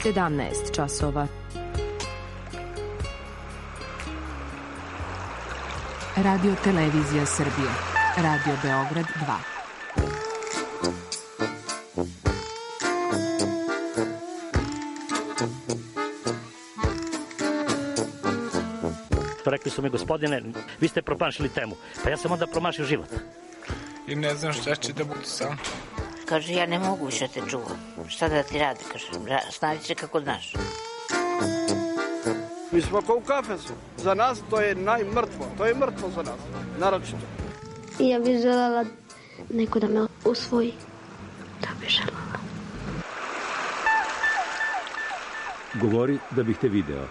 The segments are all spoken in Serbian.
17 časova. Radio Televizija Srbije. Radio Beograd 2. Rekli su mi, gospodine, vi ste promašili temu. Pa ja sam onda promašio život. I ne znam šta će da bude sam. Kaže, ja ne mogu više te čuvam. Šta da ti radi, kaže, snađi se kako znaš. Mi smo kao u kafesu. Za nas to je najmrtvo. To je mrtvo za nas, naročito. Ja bih želela neko da me usvoji. Da bih želela. Govori da bih te video.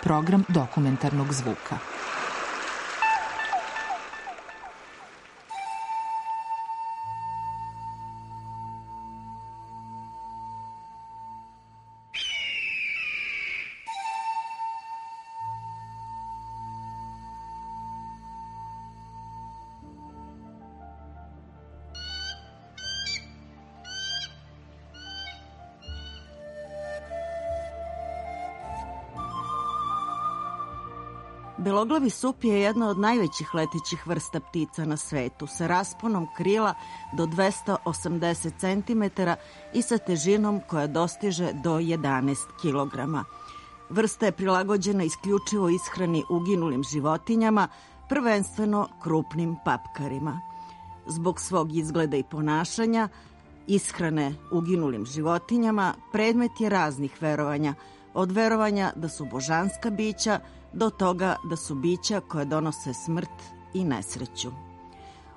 Program dokumentarnog zvuka. Beloglavi sup je jedna od najvećih letećih vrsta ptica na svetu, sa rasponom krila do 280 cm i sa težinom koja dostiže do 11 kg. Vrsta je prilagođena isključivo ishrani uginulim životinjama, prvenstveno krupnim papkarima. Zbog svog izgleda i ponašanja, ishrane uginulim životinjama predmet je raznih verovanja, od verovanja da su božanska bića do toga da su bića koje donose smrt i nesreću.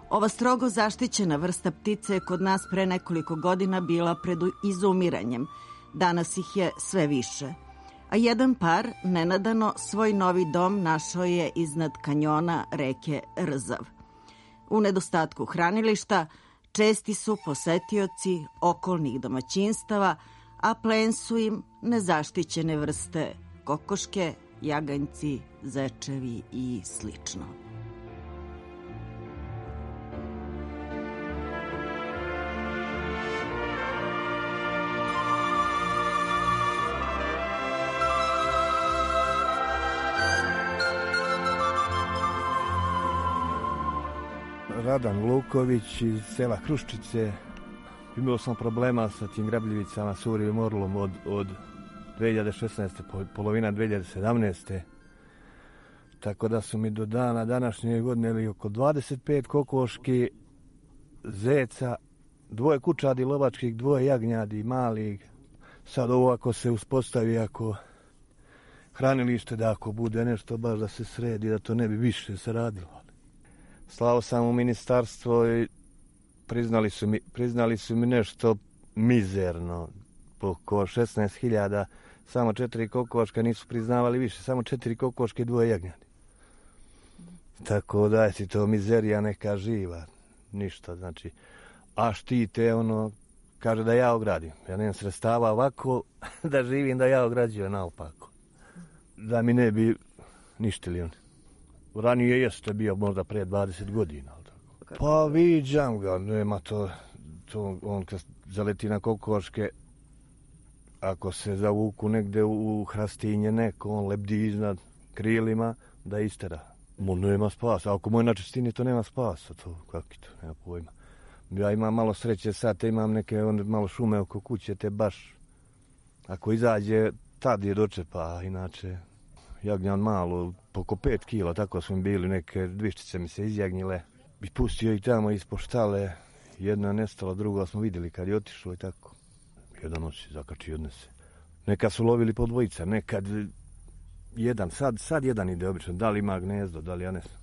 Ova strogo zaštićena vrsta ptice je kod nas pre nekoliko godina bila pred izumiranjem. Danas ih je sve više. A jedan par nenadano svoj novi dom našao je iznad kanjona reke Rzav. U nedostatku hranilišta česti su posetioci okolnih domaćinstava, a plen su im nezaštićene vrste kokoške, jaganjci, zečevi i slično. Radan Luković iz sela Hruščice. Imao sam problema sa tim grabljivicama, surivim orlom od 2016. polovina 2017. Tako da su mi do dana današnje godine oko 25 kokoški, zeca, 2 kućadi lovačkih, 2 jagnjadi malih. Sad ovo ako se uspostavi, ako hranilište, da ako bude nešto baš da se sredi, da to ne bi više se radilo. Slao sam u ministarstvo i priznali su mi nešto mizerno, oko 16.000, samo 4 kokoška, nisu priznavali više, samo 4 kokoške i 2 jagnjadi. Tako da je to mizerija neka živa, ništa, znači. A štite kaže da ja ogradim. Ja nemam sredstava ovako da živim, da ja ograđujem naopako. Da mi ne bi ništili oni. Ranije jeste bio možda pre 20 godina. Pa viđam ga, nema to on kad zaleti na kokoške, ako se zavuku negde u hrastinje neko, on lebdi iznad krilima da istera. Nema spasa, ako moj na čistini to nema spasa, to kako to, nema pojma. Ja imam malo sreće sad, imam neke malo šume oko kuće, te baš, ako izađe, tad je dočepa, inače jagnjan malo, oko 5 kila, tako smo bili, neke dviščice mi se izjagnjile. I pustio ih tamo ispod štale, jedna nestala, druga smo vidjeli kad je otišlo i tako. Jedan noć zakači odnese. Nekad su lovili po dvojica, nekad jedan, sad jedan ide obično, da li ima gnezdo, da li ja ne znam.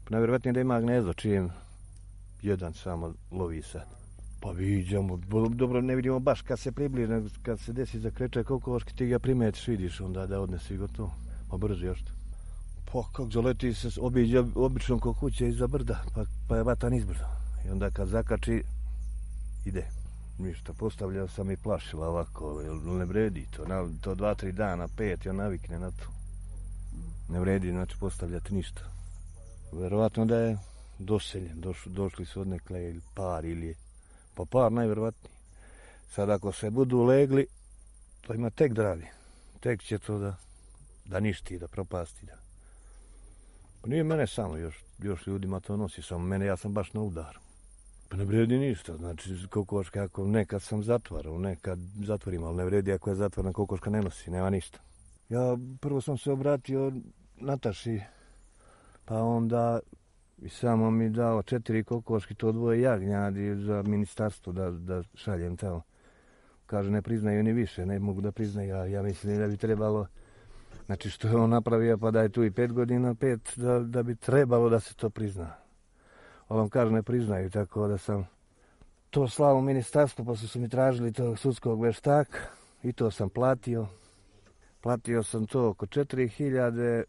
Najvjerovatnije da ima gnezdo, čijem jedan samo lovi sad. Pa viđamo, dobro ne vidimo baš kad se približi, nego kad se desi zakreće kokoški, ti ga primetiš, vidiš onda da odnesi gotovo. Pa brzo još to. Pa kako zaleti se, obiđe obično ko kuće iza brda, pa je vatan izbrda. I onda kad zakači, ide. Ništa, postavljao sam i plašila ovako, jer ne vredi to, to 2-3 dana, 5, i on navikne na to. Ne vredi, znači, postavljati ništa. Verovatno da je doseljen, došli su odnekle ili par, ili je, pa par najverovatniji. Sad ako se budu legli, to ima tek da radi. Tek će to da ništi, da propasti. Da. Pa nije mene samo, još ljudima to nosi, samo mene, ja sam baš na udaru. Pa ne vredi ništa, znači kokoška, ako nekad sam zatvarao, nekad zatvorim, ali ne vredi ako je zatvorena kokoška ne nosi, nema ništa. Ja prvo sam se obratio Nataši, pa onda i samo mi dao 4 kokoški, to 2 jagnjadi za ministarstvo da šaljem tamo. Kaže, ne priznaju ni više, ne mogu da priznaju, ja mislim da bi trebalo, znači što je on napravio, pa da je tu i 5 godina, 5, da bi trebalo da se to prizna. Ali on kaže, ne priznaju, tako da sam to slao u ministarstvo, pa su mi tražili tog sudskog veštaka i to sam platio. Platio sam to oko 4.000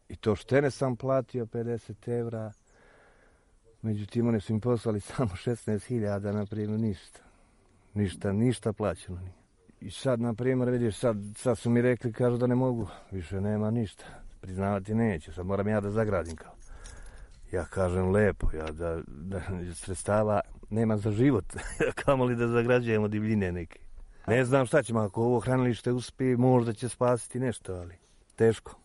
i to štene sam platio 50 evra. Međutim, oni su mi poslali samo 16.000, na primjer, ništa plaćeno nije. I sad, na primjer, vidiš, sad su mi rekli, kažu da ne mogu, više nema ništa, priznavati neću, sad moram ja da zagradim kao. Ja kažem lepo, da sredstava nema za život, kamoli da zagrađujemo divljine neke. Ne znam šta ćemo, ako ovo hranilište uspije, možda će spasiti nešto, ali teško.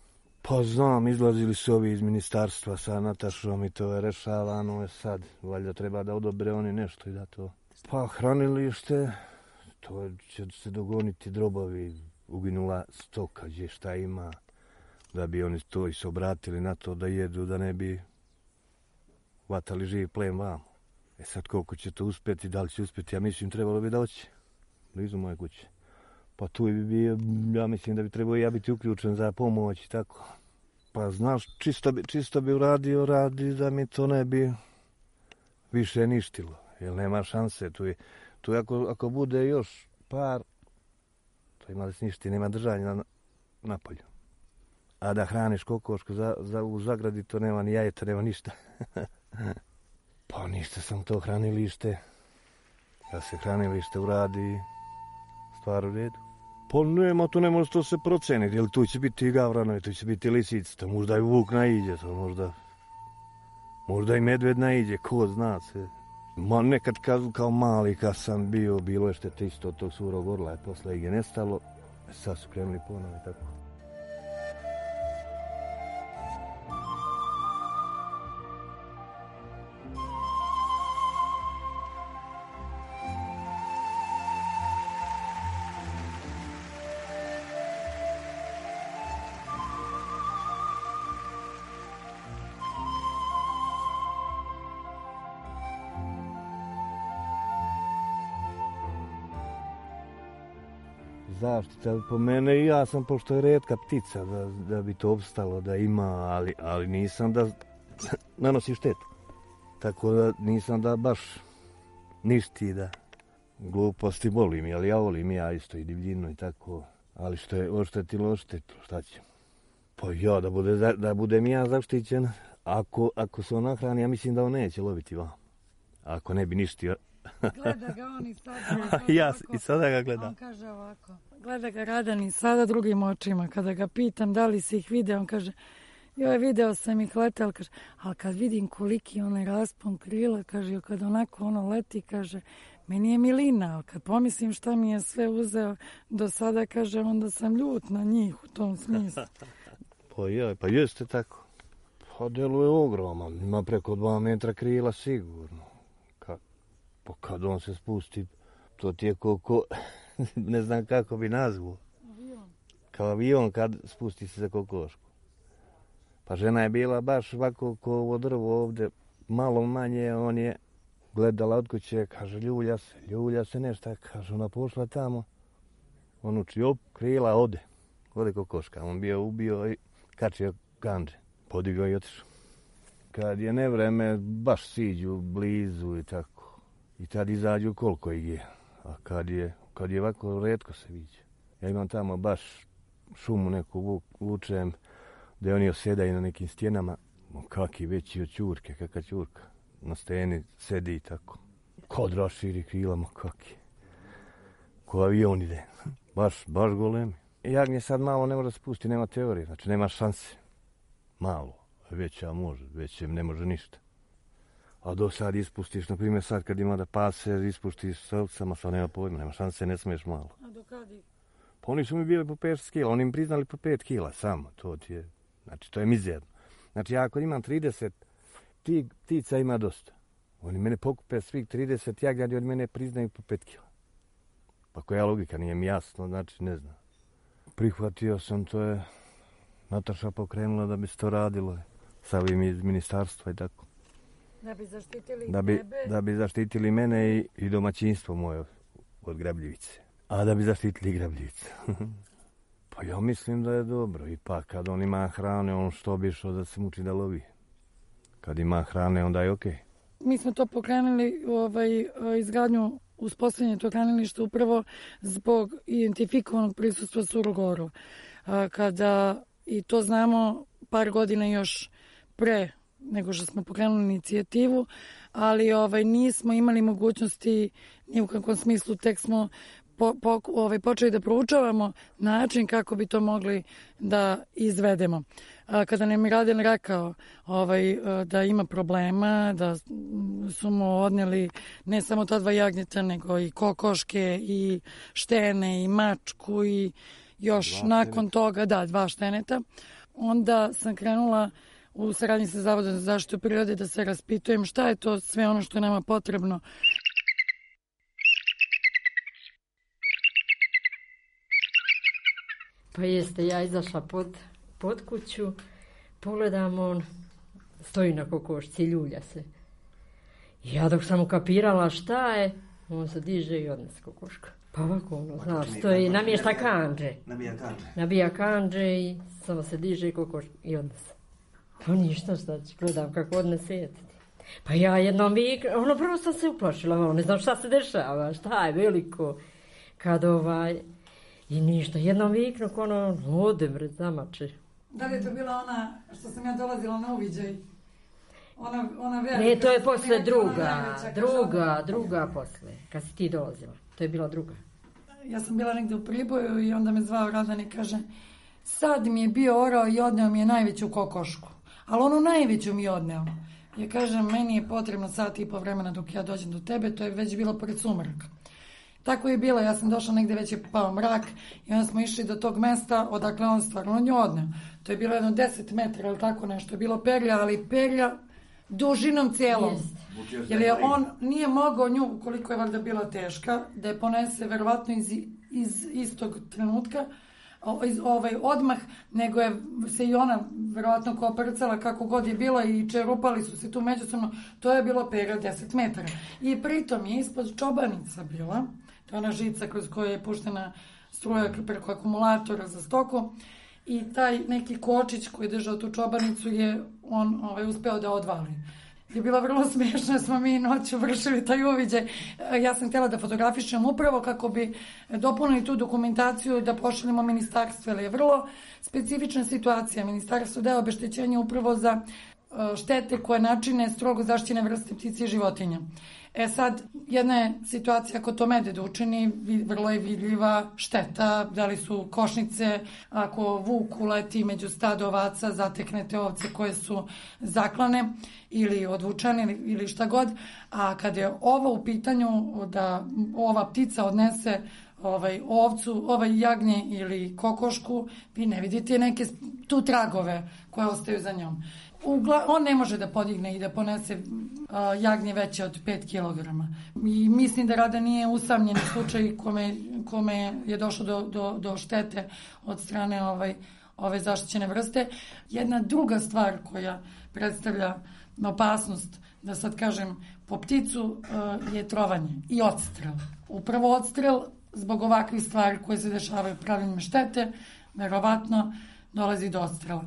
Pa znam, izlazili su ovi iz ministarstva sa Natašom i to je rešavano sad. Valjda treba da odobre oni nešto i da to... Pa hranilište, to će se dogoniti drobovi, uginula stoka, gdje šta ima, da bi oni to i se obratili na to da jedu, da ne bi vatali živi plen vamo. Sad koliko će to uspjeti, da li će uspjeti, ja mislim trebalo bi da hoće, blizu moje kuće. Pa tu bi bio, ja mislim da bi trebao ja biti uključen za pomoć i tako. Pa znaš, čisto bi uradio radi da mi to ne bi više ništilo, jer nema šanse. Tu ako bude još par, to ima da se ništi, nema držanja na polju. A da hraniš kokošku u zagradi, to nema ni jajeta, nema ništa. Pa ništa sam to hranilište. Da se hranilište uradi, stvar u redu. Pa nema, tu ne može to se proceniti, jer tu će biti i gavranovi, tu će biti lisici, to možda i vuk naiđe, to možda i medved naiđe, ko zna se. Ma nekad kao mali kad sam bio, bilo je štete isto od tog surog orla, posle ih je nestalo, sad su krenuli ponovo i tako. Zaštita po mene i ja sam, pošto je retka ptica, da bi to opstalo, da ima, ali nisam da nanosi štetu. Tako da nisam da baš ništi, da gluposti volim, ali ja volim ja isto i divljinu i tako. Ali što je oštetilo, šta će? Pa ja, da budem ja zaštićen, ako se on nahrani, ja mislim da on neće loviti vam. Ako ne bi ništio. Gleda ga on i sada. Ja i sada ga gledam. On kaže ovako, gleda ga Radan i sada drugim očima. Kada ga pitam da li si ih video, on kaže, joj, video sam ih letel, kaže, ali kad vidim koliki onaj raspon krila, kaže, kad onako ono leti, kaže, meni je milina, ali kad pomislim šta mi je sve uzeo do sada, kaže, onda sam ljut na njih u tom smislu. Pa jeste tako. Pa deluje ogroman, ima preko 2 metra krila sigurno. Pa kad on se spusti, to ti je ne znam kako bi nazvao. Avion. Kao avion kad spusti se za kokošku. Pa žena je bila baš ovako ko ovo drvo ovdje, malo manje, on je gledala od kuće, kaže ljulja se nešto, kaže ona pošla tamo. On uči, krila, ode kokoška. On bio ubio i kačio kandže, podigao i otišao. Kad je nevreme, baš siđu blizu i tako. I tad izađu koliko ih je. A kad je ovako, retko se viđe. Ja imam tamo baš šumu neku vučem, gdje oni osjedaju na nekim stjenama. Kaki veći od ćurke, kakva ćurka. Na steni sedi i tako. Kod raširi krilama, kaki. Ko avion ide. Baš golemi. Jagnje sad malo ne može spusti, nema teorije, znači nema šanse. Malo, veća može, većem ne može ništa. A do sad ispustiš, na primjer sad kad ima da pase, ispuštiš s ovcama, sad nema pojma, nema šanse, ne smiješ malo. A do kad ih? Pa oni su mi bili po 5 kila, oni mi priznali po 5 kila samo, znači to je mizerno. Znači ja ako imam 30, ptica ima dosta. Oni mene pokupe svih 30 jagnjadi, oni mene priznaju po 5 kila. Pa koja logika, nije mi jasno, znači ne znam. Prihvatio sam, to je Nataša pokrenula da bi se to radilo sa ovim iz ministarstva i tako. Da bi zaštitili tebe? Da bi zaštitili mene i domaćinstvo moje od grabljivice. A da bi zaštitili grabljivice. Pa ja mislim da je dobro. Ipak kad on ima hrane, on što bi išao da se muči da lovi. Kad ima hrane, onda je okej. Mi smo to pokrenuli, izgradnju uspostavljanja tog hranilišta upravo zbog identifikovanog prisustva surogorova. Kada, i to znamo par godina još pre nego što smo pokrenuli inicijativu, ali nismo imali mogućnosti ni u kakvom smislu, tek smo počeli da proučavamo način kako bi to mogli da izvedemo. Kada nam je Raden rekao da ima problema, da su mu odneli ne samo ta 2 jagnjeta, nego i kokoške i štene i mačku i još nakon toga, 2 šteneta, onda sam krenula u saradnji sa Zavodom za zaštitu prirode da se raspitujem šta je to sve ono što je nama potrebno. Pa jeste, ja izašla pod kuću, pogledam, on stoji na kokošci, ljulja se. Ja dok sam ukapirala šta je, on se diže i odnese kokošku. Pa ovako, znaš, stoji, namješta kanđe. Nabija kanđe i samo se diže kokošku i odnese. Pa ništa, šta ću, gledam kako odnese. Pa ja jednom prvo sam se uplašila, ne znam šta se dešava, šta je veliko. Kad i ništa, jednom viknu, ode bre, zamače. Da li je to bila ona što sam ja dolazila na uviđaj? Ona velika? Ne, to je posle druga posle, kad si ti dolazila. To je bila druga. Ja sam bila negde u Priboju i onda me zvao Radan i kaže, sad mi je bio orao i odneo mi je najveću kokošku. Ali onu najveću mi je odneo. Ja kažem, meni je potrebno 1,5 sata vremena dok ja dođem do tebe, to je već bilo pred sumrak. Tako je bilo, ja sam došla negde, već je pao mrak i onda smo išli do tog mesta odakle on stvarno nju odneo. To je bilo jedno 10 metara ili tako nešto, je bilo perlja, ali perlja dužinom cijelom. Jer je on nije mogao nju, koliko je valjda bila teška, da je ponese verovatno iz istog trenutka, odmah, nego je se i ona verovatno koprcala kako god je bilo i čerupali su se tu međusobno. To je bilo perja 10 metara. I pritom je ispod čobanica bila, to je ona žica kroz koju je puštena struja preko akumulatora za stoku, i taj neki kočić koji je držao tu čobanicu je on uspeo da odvali. Je bilo vrlo smiješno, smo mi noću vršili taj uviđaj. Ja sam htjela da fotografišem upravo kako bi dopunili tu dokumentaciju da pošaljemo ministarstvo, jer je vrlo specifična situacija. Ministarstvo daje obeštećenje upravo za štete koje načine strogo zaštićene vrste ptica i životinja. Sad, jedna je situacija ako to medved učini, vrlo je vidljiva šteta, da li su košnice, ako vuk uleti među stado ovaca, zateknete ovce koje su zaklane ili odvučene ili šta god, a kad je ovo u pitanju da ova ptica odnese ovcu, jagnje ili kokošku, vi ne vidite neke tu tragove koje ostaju za njom. On ne može da podigne i da ponese jagnje veće od 5 kg. I mislim da Rada nije usamljen slučaj kome je došlo do štete od strane ove zaštićene vrste. Jedna druga stvar koja predstavlja opasnost, da sad kažem, po pticu je trovanje i odstrel. Upravo odstrel zbog ovakvih stvari koje se dešavaju pravljenjem štete, verovatno dolazi do odstrela.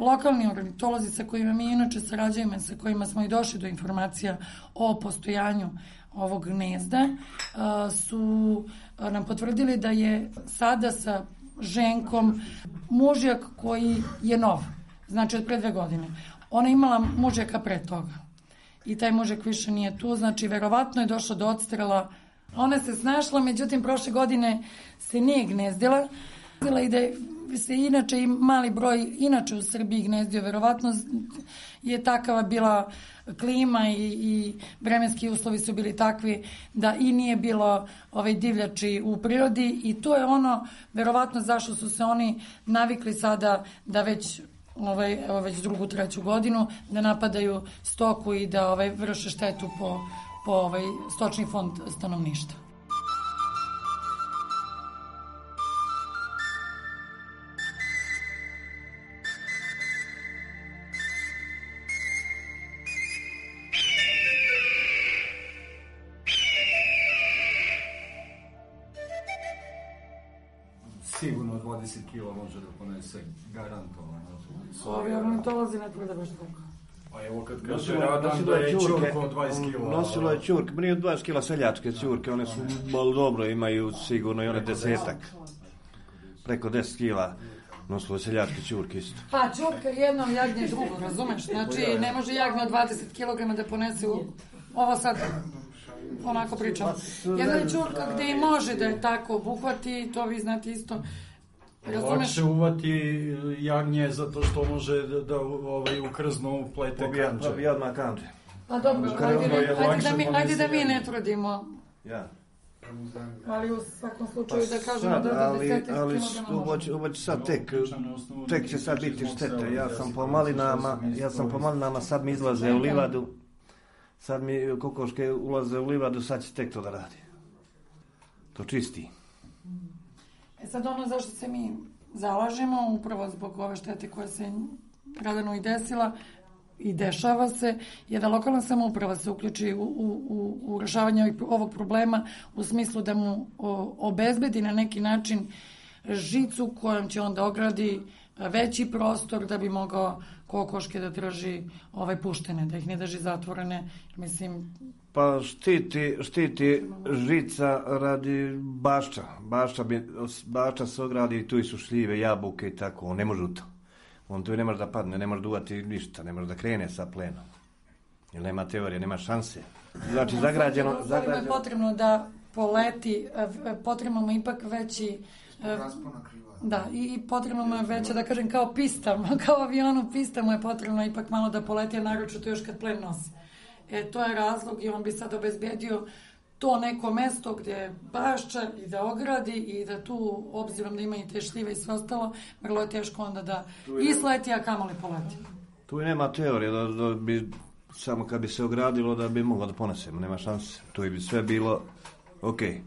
Lokalni ornitolozi sa kojima mi inače sarađujemo, sa kojima smo i došli do informacija o postojanju ovog gnezda, su nam potvrdili da je sada sa ženkom mužjak koji je nov, znači od pre 2 godine. Ona je imala mužjaka pre toga i taj mužjak više nije tu, znači verovatno je došlo do odstrela. Ona se snašla, međutim prošle godine se nije gnezdila, I da se inače i mali broj inače u Srbiji gnezdio, verovatno je takava bila klima i vremenski uslovi su bili takvi da i nije bilo divljači u prirodi i to je ono verovatno zašto su se oni navikli sada da već drugu, treću godinu da napadaju stoku i da vrše štetu po stočni fond stanovništva. Sigurno 20 kila može da ponese, garantovano. Ovi ornitolozi ne tvrde baš tako. A evo kad kaže Radan da je ćurka od 20 kila. Nosila je ćurke, nije 20 kila seljačke ćurke, one su malo dobro, imaju sigurno i one 10-ak. Preko 10 kila nosilo je seljačke ćurke isto. Pa ćurka jednom, jagnje drugo, razumeš? Znači ne može jagnje od 20 kg da ponese ovo sad... onako pričam. Jedna je ćurka gde i može da je tako obuhvati, to vi znate isto. Lakše uvati jagnje zato što može da ukrznu plete kanđe. Pobija odmah kanđe. Pa dobro, ajde da mi ne trudimo. Ja. Ali u svakom slučaju da kažemo da 10 kg može. Ovo će sad tek će sad biti štete. Ja sam po malinama, sad mi izlaze u livadu. Sad mi kokoške ulaze u livadu, sad će tek to da radi. To čisti. Sad ono zašto se mi zalažemo, upravo zbog ove štete koja se Radanu i desila i dešava se, je da lokalna samouprava se uključi u rešavanje ovog problema u smislu da mu obezbedi na neki način žicu kojom će onda ogradi veći prostor da bi mogao kokoške da drži puštene, da ih ne drži zatvorene, mislim... Pa štiti žica radi bašča. Bašča se ogradi, tu su šljive, jabuke i tako, on ne može u to. On tu ne može da padne, ne može da uvati ništa, ne može da krene sa plenom. Jer nema teorije, nema šanse. Znači, zagrađeno... je potrebno da poleti, potrebno mu ipak veći... Da, i potrebno mu je veća, da kažem, kao pista, kao avionu pista mu je potrebno ipak malo da poleti, a naročito još kad plen nosi. To je razlog i on bi sad obezbedio to neko mesto gdje je bašča i da ogradi i da tu, obzirom da ima i te šljive i sve ostalo, vrlo je teško onda da isleti, a kamoli poleti. Tu i nema teorije da bi, samo kad bi se ogradilo da bi moglo da ponesemo, nema šanse. Tu bi sve bilo okej.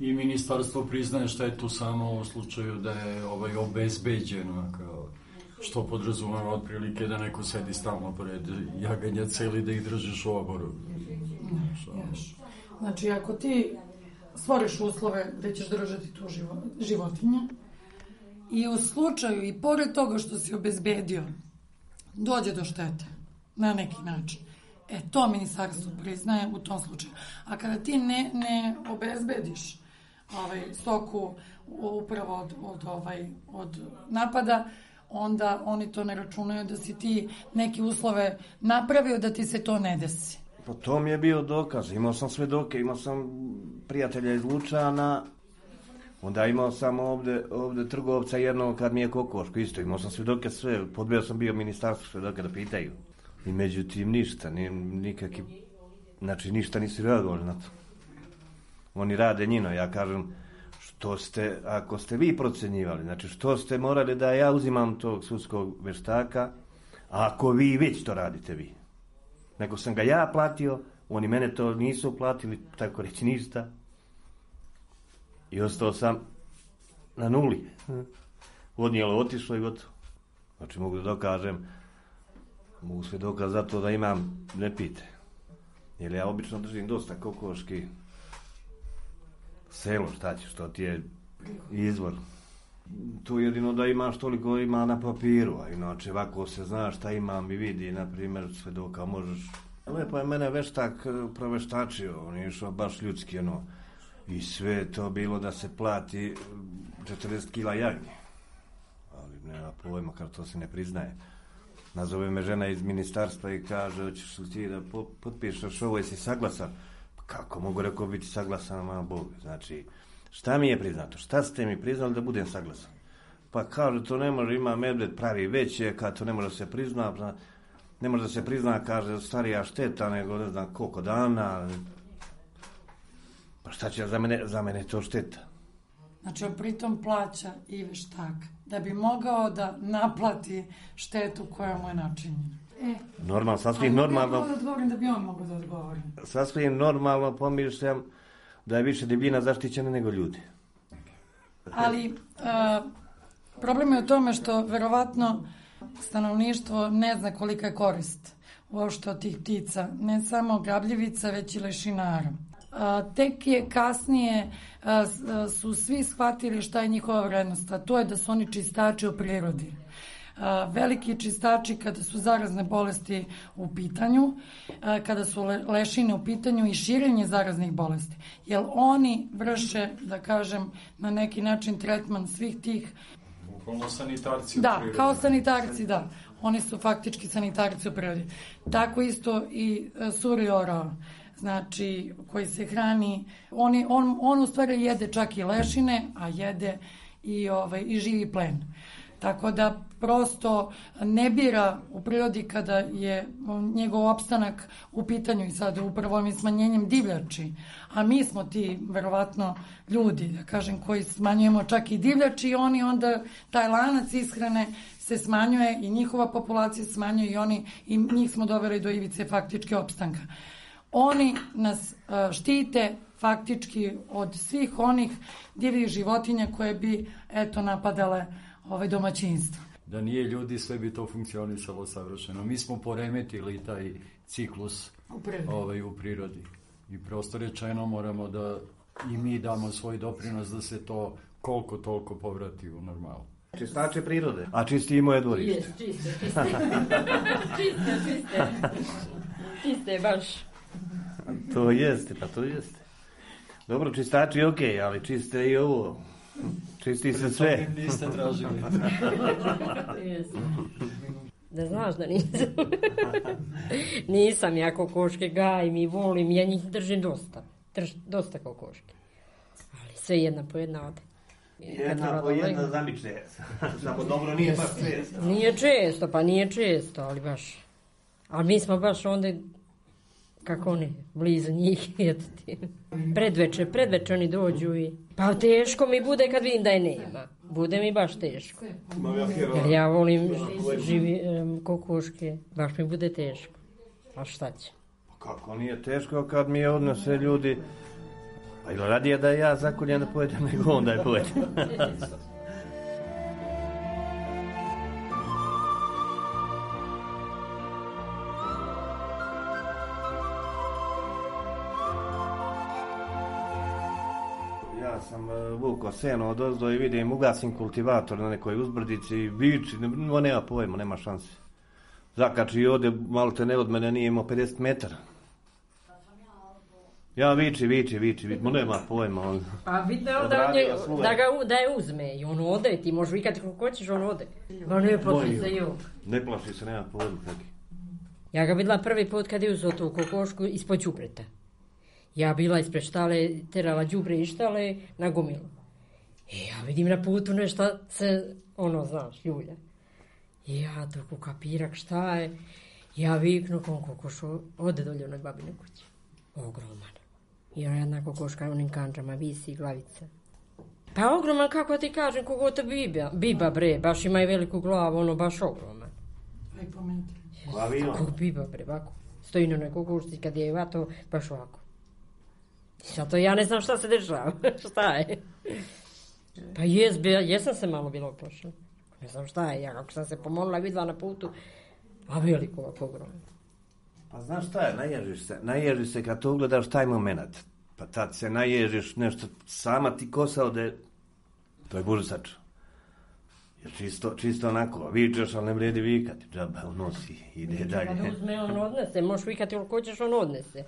I ministarstvo priznaje štetu samo u slučaju da je obezbeđeno, što podrazumeva otprilike da neko sedi stalno pored jaganja celi da ih držiš u oboru. Znači, ako ti stvoriš uslove gde ćeš držati tu životinje i u slučaju i pored toga što si obezbedio dođe do štete na neki način, to ministarstvo priznaje u tom slučaju. A kada ti ne obezbediš stoku upravo od napada, onda oni to ne računaju da si ti neke uslove napravio da ti se to ne desi. Pa to mi je bio dokaz. Imao sam svedoke, imao sam prijatelja iz Lučana, onda imao sam ovde trgovca jednog kad mi je kokoško isto. Imao sam svedoke sve, podbio sam bio ministarstvo svedoke da pitaju. I međutim ništa, nikakvi, znači ništa nisu reagovali na to. Oni rade njino, ja kažem, ako ste vi procenjivali, znači što ste morali da ja uzimam tog sudskog veštaka, ako vi već to radite vi. Nego sam ga ja platio, oni mene to nisu platili, tako reći ništa. I ostao sam na nuli. Odnijelo, otišlo i gotovo. Znači mogu da dokažem, mogu sve dokaz zato da imam, ne pite. Jer ja obično držim dosta kokoški. Selo, šta ćeš, to ti je izvor. Tu jedino da imaš toliko ima na papiru, a inače ovako se zna šta imam i vidi, na primjer, svedoka možeš. Lepo je mene veštak proveštačio, on je išao baš ljudski, i sve to bilo da se plati 40 kila jagnje. Ali nema pojma, kad to se ne priznaje. Nazove me žena iz ministarstva i kaže, hoćeš li ti da potpišeš ovo, jesi saglasan? Kako mogu, rekao, biti saglasan, malo Bog. Znači, Šta mi je priznato? Šta ste mi priznali da budem saglasan? Pa kaže, to ne može, ima medved pravi veće, kad to ne može da se prizna, ne može da se prizna, kaže, starija šteta, nego ne znam koliko dana. Pa šta će za mene to šteta? Znači, pritom plaća i veštak, da bi mogao da naplati štetu koja mu je načinjena. Normalno, sasvim normalno. Ali odgovorim da bi on mogao da odgovori. Sasvim normalno pomišljam da je više debljina zaštićena nego ljudi. Ali problem je u tome što verovatno stanovništvo ne zna kolika je korist uopšte od tih ptica, ne samo grabljivica, već i lešinara. Tek je kasnije su svi shvatili šta je njihova vrednost, a to je da su oni čistači u prirodi. Veliki čistači kada su zarazne bolesti u pitanju, kada su lešine u pitanju i širenje zaraznih bolesti. Jer oni vrše, da kažem, na neki način tretman svih tih... Bukvalno sanitarci u da, prirodi. Kao sanitarci, da. Oni su faktički sanitarci u prirodi. Tako isto i suri orao, znači, koji se hrani. On u stvari jede čak i lešine, a jede i živi plen. Tako da prosto ne bira u prirodi kada je njegov opstanak u pitanju i sad upravo ovim smanjenjem divljači. A mi smo ti, verovatno, ljudi, da kažem, koji smanjujemo čak i divljači i oni onda, taj lanac ishrane se smanjuje i njihova populacija se smanjuje i njih smo doveli do ivice faktičke opstanka. Oni nas štite faktički od svih onih divljih životinja koje bi, napadale domaćinstvo. Da nije ljudi, sve bi to funkcionisalo savršeno. Mi smo poremetili taj ciklus u prirodi. I prosto rečeno moramo da i mi damo svoj doprinos da se to koliko toliko povrati u normalu. Čistače prirode. A čisti i moje dvorište. Čiste. Čiste, baš. To jeste. Dobro, čistači je okej, ali čiste i ovo. Čisti se sve. Niste tražili. Da znaš da nisam. Nisam ja kokoške gajim i volim, ja njih držim dosta kokoške. Ali sve jedna po jedna ode. Jedna po jedna zamiče. Samo dobro nije baš često. Nije često, ali baš. Ali mi smo baš onda, kako oni, blizu njih, eto ti. Predveče oni dođu i... Pa teško mi bude kad vidim da je nema. Bude mi baš teško. Jer ja volim kokoške, baš mi bude teško. A šta će? Kako nije teško kad mi odnose ljudi... Pa ili radije da ja zakoljem da pojedem nego on da je pojedem. Ja sam vukao seno od ozdo i vidim, ugasim kultivator na nekoj uzbrdici i viči, nema pojma, nema šanse. Zakači i ode, malo te ne od mene, nije imao 50 metara. Ja viči, nema pojma. Pa bitno je da je uzme i on ode, ti možeš vikati kako hoćeš, on ode. Ma ne plaši se i on. Ne plaši se, nema pojma. Ja ga videla prvi put kad je uzeo tu kokošku ispod đubreta. Ja bila ispred štale, terala đubre i štale na gomilu. I ja vidim na putu nešto se, znaš, ljulja. I ja dok kapirak šta je, ja viknu kom kokošu ode dolje onoj babine kući. Ogroman. I ona jedna kokoška onim kanđama visi glavica. Pa ogroman, kako ti kažem, kogo to biba bre, baš ima i veliku glavu, baš ogroman. Aj po metru. Kako biba bre, ovako. Stoji na onoj kokošci kad je vato, baš ovako. Zato ja ne znam šta se dešava, šta je. Pa jesam se malo bilo uplašila. Ne znam šta je, ja kako sam se pomolila, videla na putu, a veliko ovako ogroman. Pa znaš šta je, naježiš se kad to ugledaš taj moment. Pa tad se naježiš nešto, sama ti kosa ode, to je bursač. Jer čisto onako, vičeš, ali ne vredi vikati, džaba unosi, ide dalje. Kada uzme, on odnese, možeš vikati koliko hoćeš, on odnese.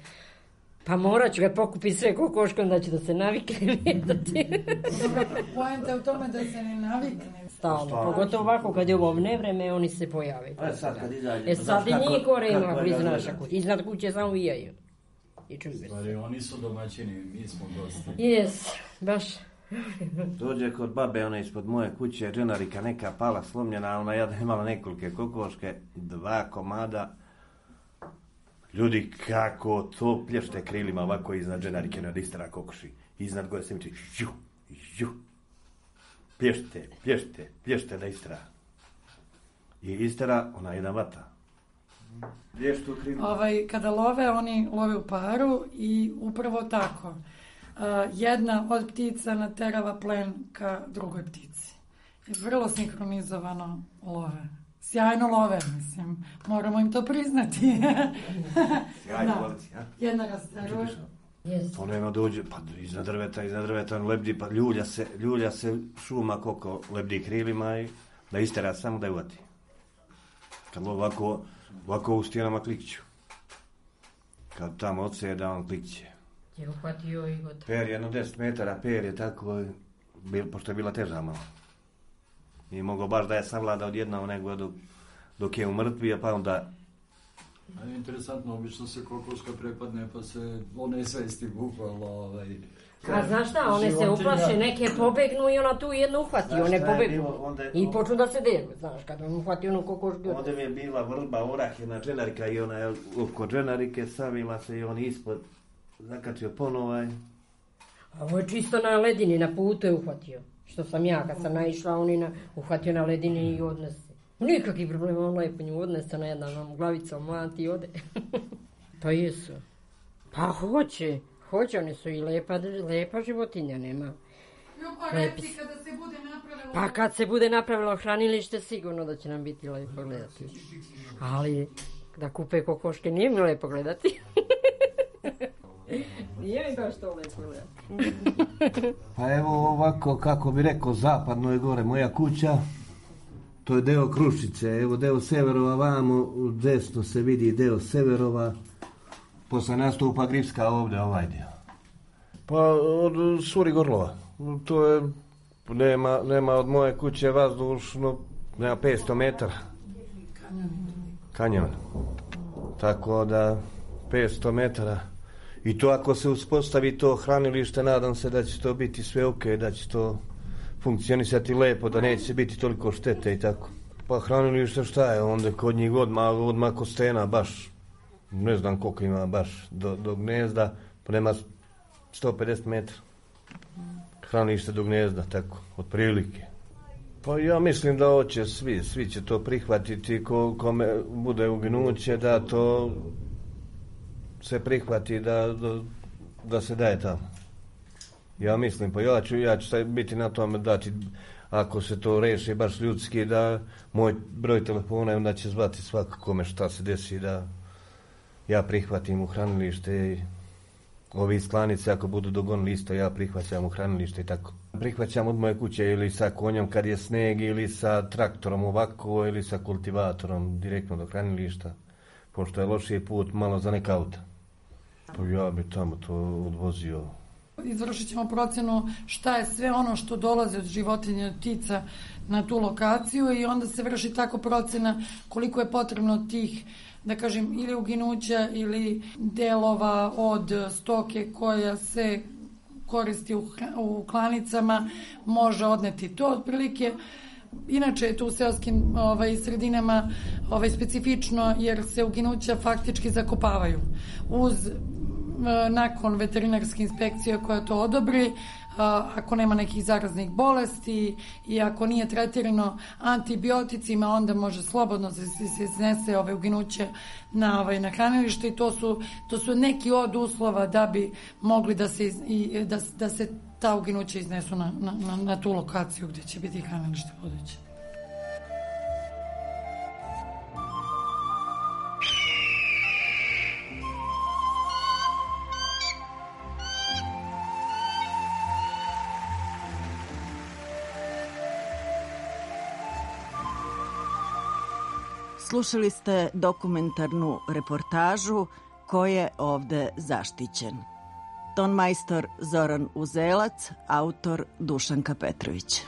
Pa morat ću ga pokupiti sve kokoške, onda ću da se navikne vidjeti. Poenta je u tome da se ne navikne. Stalno, pogotovo ovako kad je ovo nevreme, oni se pojave. Sad kad izađe. Sad i njih gore ima blizu naša kuća. Iznad kuće samo vijaju. Stvari, oni su domaćini, mi smo gosti. Jes, baš Dođe kod babe, ona ispod moje kuće, dženarika neka pala, slomljena, ona je imala nekolike kokoške, 2 komada. Ljudi, kako to plješte krilima ovako iznad dženarike, nad istera kokoši. Iznad gore se mi či, plješте da istera. I istera, ona jedan vata. Plještu krilima. Kada love, oni love u paru i upravo tako. Jedna od ptica naterava plen ka drugoj ptici. Vrlo sinkronizovano love. Sjajno love, mislim. Moramo im to priznati. Sjajno lovci, ja? Jedna rasteruje. Ono jedno dođe, pa iznad drveta, on lebdi, pa ljulja se šuma koliko lebdi krilima i da istera samo da je uvati. Kad ovako u stijenama klikću. Kad tamo odseda, on klikće. Je uhvatio i gotovo. Per je jedno 10 metara, per je tako, pošto je bila teža malo. Nije mogao baš da je savlada odjednom, nego dok je umrtvio, pa onda... Interesantno, obično se kokoška prepadne, pa se one svesti bukvalno... A znaš šta, one se uplaše, neke pobegnu i ona tu jednu uhvati, one pobegnu. I počnu da se delu, znaš, kada on uhvati onu kokošku. Onda mi je bila vrba, orah, jedna dženarika i ona je oko dženarike savila se i on ispod zakačio ponovaj. A ovo je čisto na ledini, na putu je uhvatio. Što sam ja, kad sam naišla, on je uhvatio na ledini i odnese. Nikakvi problema, on lepo nju odnese na jednom glavicom, mlati i ode. Pa jesu. Pa hoće, one su i lepa životinja, nema. Reci kada se bude napravilo... Pa kad se bude napravilo hranilište, sigurno da će nam biti lepo gledati. Ali da kupe kokoške nije mi lepo gledati. Nije mi baš to lepo gledati. Pa evo ovako, kako bi rekao, zapadno je gore moja kuća. To je deo Krušice, evo deo Severova vamo, desno se vidi deo Severova. Posle nastupa Gripska ovdje, ovaj dio. Pa od Suri Gorlova. To je, nema od moje kuće vazdušno, nema 500 metara. Kanjon. Tako da 500 metara. I to ako se uspostavi to hranilište, nadam se da će to biti sve ok, da će to funkcionisati lepo, da neće biti toliko štete i tako. Pa hranilište šta je, onda kod njih odmah kostena, baš, ne znam koliko ima baš do gnezda, pa nema 150 metara. Hranilište do gnezda, tako, otprilike. Pa ja mislim da hoće svi će to prihvatiti, kome bude uginuće, da to se prihvati, da se daje tamo. Ja mislim, pa ja ću biti na tome dati, ako se to reši baš ljudski, da moj broj telefona, onda će zvati svako kome šta se desi, da ja prihvatim u hranilište i ovi iz Klanice, ako budu dogonili isto, ja prihvaćam u hranilište i tako. Prihvaćam od moje kuće ili sa konjom kad je sneg, ili sa traktorom ovako, ili sa kultivatorom direktno do hranilišta, pošto je lošiji put malo za neka auta. Pa ja bi tamo to odvozio. Izvršit ćemo procjenu šta je sve ono što dolazi od životinja, od ptica na tu lokaciju i onda se vrši tako procjena koliko je potrebno tih, da kažem, ili uginuća ili delova od stoke koja se koristi u klanicama, može odneti to otprilike. Inače je tu u seoskim sredinama specifično jer se uginuća faktički zakopavaju. Nakon veterinarske inspekcije koja to odobri, ako nema nekih zaraznih bolesti i ako nije tretirano antibioticima, onda može slobodno se iznese uginuće na hranilište i to su neki od uslova da bi mogli da se ta uginuća iznesu na tu lokaciju gdje će biti hranilište buduće. Slušali ste dokumentarnu reportažu Ko je ovde zaštićen. Tonmajstor Zoran Uzelac, autor Dušanka Petrović.